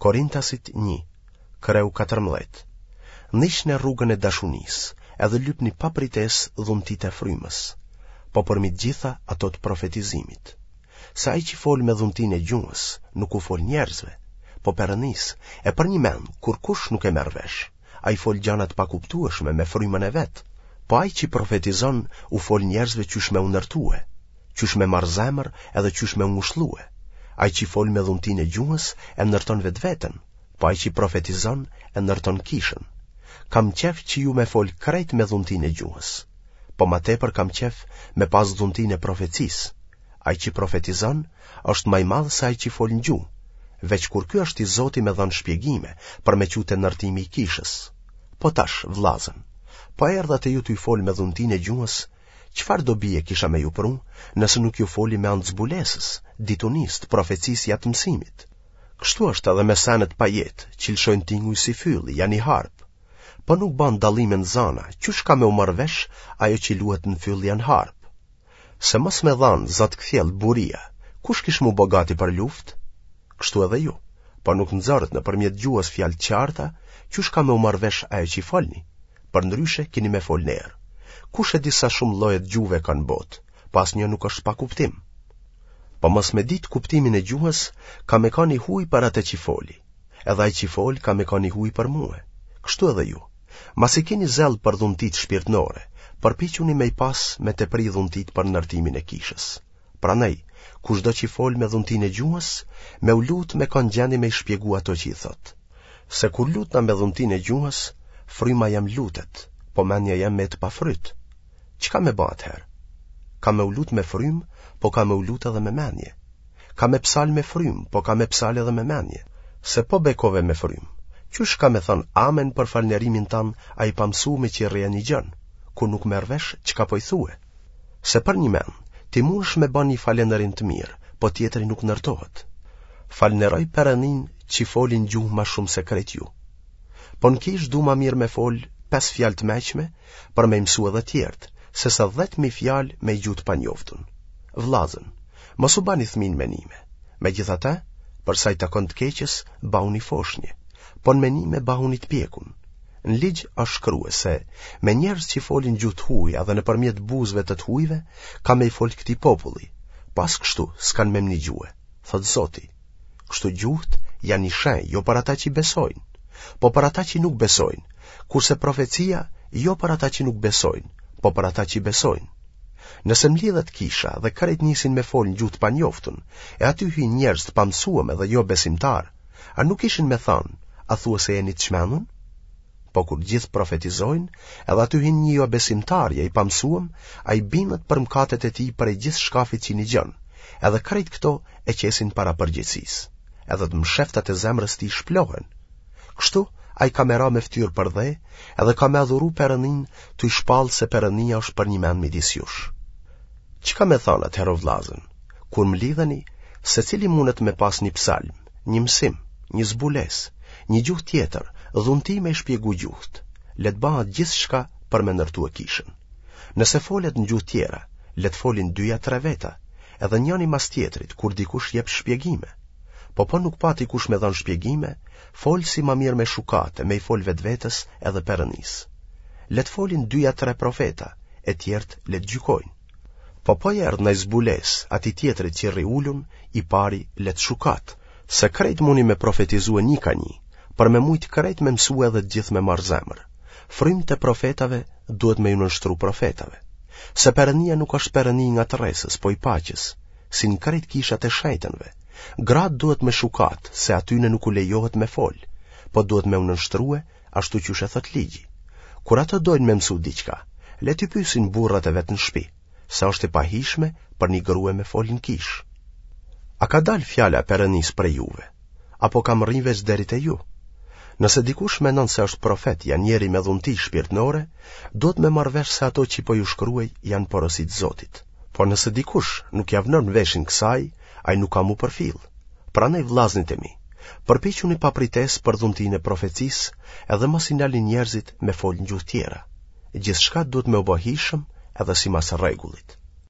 Korintasit 1, kreu 14. Ndiqne rrugën e dashunisë, edhe lypni pa pritesë dhuntitë e frymës, po përmi të gjitha ato të profetizimit. Se ai që fol me dhuntinë e gjuhës, nuk u fol njerëzve, po Perëndisë, e përnjëmend, kurkush nuk e merr vesh, ai fol gjana të pakuptueshme me frymën e vet, po ai që profetizon u fol njerëzve qysh me u ndërtue, qysh me marrë zemër edhe qysh me u ngushllue. Ai që fol me dhuntinë e gjuhës e ndërton vetveten, po ai që profetizon e ndërton kishën. Kam qef që ju me fol krejt me dhuntinë e gjuhës, po ma tepër kam qef me pas dhuntinë e profecisë. Ai që profetizon është ma i madh se ai që fol në gjuhë, veç kur ky është i zoti me dhënë shpjegime për me çu te ndërtimi i kishës. Po tash, vllazën, po erdha te ju tuj fol me dhuntinë e gjuhës, çfarë dobie kisha me ju pru, nëse nuk ju foli me anë të zbulesës, ditunisë, të profecisë ja të mësimit? Kështu është edhe me senet pa jetë, që lëshojnë tinguj si fylli, ja një harpë. Po nuk banë dallime në zana, qysh ka me u marrë vesh ajo që luhet në fyll ja në harpë? Se mos me dhanë za të kthjellët buria, kush kish m'u bo gati për luftë? Kështu edhe ju, po nuk nxorët nëpërmjet gjuhës fjalë të qarta, qysh ka me u marrë vesh ajo që folni? Përndryshe kini me folë në erë. Kush e di sa shumë lloje të gjuhëve ka në botë, po asnjë nuk është pa kuptim. Po mos me ditë kuptimin e gjuhës, ka me kanë i huj për atë që foli, edhe ai që fol ka me kanë i huj për mue. Kështu edhe ju. Masi keni zell për dhuntitë shpirtnore, përpiquni me i pas me tepri dhuntitë për ndërtimin e kishës. Prandaj, kushdo që fol me dhuntinë e gjuhës, me u lut me kanë gjendje me i shpjegu ato që i thotë. Se kur lutna me dhuntinë e gjuhës, fryma jem lutet, po mendja jem met pa fryt. Çka me ba atëherë? Kam me u lut me frymë, po kam me u lut edhe me mendje. Kam me psal me frymë, po kam me psal edhe me mendje. Se po bekove me frymë, qysh ka me thënë amen për falënderimin tand ai i pamësuemi që rri e nigjon, kur nuk merr vesh çka po i thue. Se përnjëmend, ti mundesh me ba një falënderim të mirë, po tjetri nuk ndërtohet. Falënderoj Perëndinë që foli në gjuhë ma shumë se krejt ju. Po në kishë du ma mirë me fol pesë fjalë të meçme për me i mësu edhe tjerët, sesa 10.000 fjalë me gjuhë të panjoftun. Vllazën, mos u bani fëmijë në menime. Megjithatë, për sa i takon të keqes, bahuni foshnje, po në menime bahuni të pjekun. Në ligj është shkrue se me njerëz që folin gjuhë të huja dhe nëpërmjet buzëve të të hujve, kam me i fol këtij populli, po as kështu s'kanë me m'nigjue, thotë Zoti. Kështu gjuhët janë një shenjë, jo për ata që besojnë, po për ata që nuk besojnë, kurse profecia jo për ata që nuk besojnë, po për ata që besojnë. Nëse mlidhet kisha dhe krejt nisin me fol në gjuhë të panjoftun, e aty hyjnë njerëz të pamësuem edhe jo besimtarë, a nuk kishin me thanë, a thua se jeni të çmendun? Po kur gjithë profetizojnë, edhe aty hyn një jobesimtar ja i pamësuem, ai bindet për mëkatet e tij prej gjithë shkafit që nigjon, edhe krejt këto e qesin para përgjegjësisë, edhe të msheftat e zemrës tij shplohen. Kështu, ai ka me ra me ftyrë për dhe, edhe ka me adhuru Perëndinë, tuj shpallë se Perëndia është përnjëmend midis jush. Çka me thanë atëherë o vllazën? Kur mlidheni, secili mundet me pas një psalm, një mësim, një zbulesë, një gjuhë tjetër, dhunti me i shpjegu gjuhët. Le të bahet gjithçka për me ndërtue kishën. Nëse folet në gjuhë tjera, le të folin dy ja tre veta, edhe njëni mas tjetrit, kur dikush jep shpjegime. Po po nuk pati kush me dhanë shpjegime, folësi ma mirë me shukatë, me i fol vetvetes edhe Perëndisë. Le të folin dy ja tre profeta, e tjerët le të gjykojnë. Po po i erdh naj zbulesë atij tjetrit që rri ulun, i pari le të shukatë, se krejt muni me profetizue një ka një, për me mujtë krejt me mësue edhe të gjithë me marrë zemër. Frymët e profetave duhet me ju nënshtru profetave. Se Perëndia nuk është Perëndi i ngatërresës, po i paqes, si në krejt kishat e shenjtënve. Gratë duhet me shukatë, se atyne nuk u lejohet me fol, po duhet me u nënshtrue ashtu qysh e thotë ligji. Kur ato dojnë me mësu diçka, le t'i pysin burrat e vet në shpi, se është e pahijshme për një grue me fol në kishë. A ka dalë fjala e Perëndisë prej juve? Apo ka mrri veç deri te ju? Nëse dikush mendon se është profet ja njeri me dhunti shpirtnore, duhet me marrë vesh se ato që po ju shkruaj janë porosi të Zotit. Por nëse dikush nuk ia vnon veshin kësaj, ai nuk ka m'u përfill. Prandaj vllaznit e mi, përpiquni pa pritesë për dhuntinë e profecisë, edhe mos i ndalni njerëzit me fol në gjuhë tjera. Gjithçka duhet me u bë hijshëm edhe simas rregullit.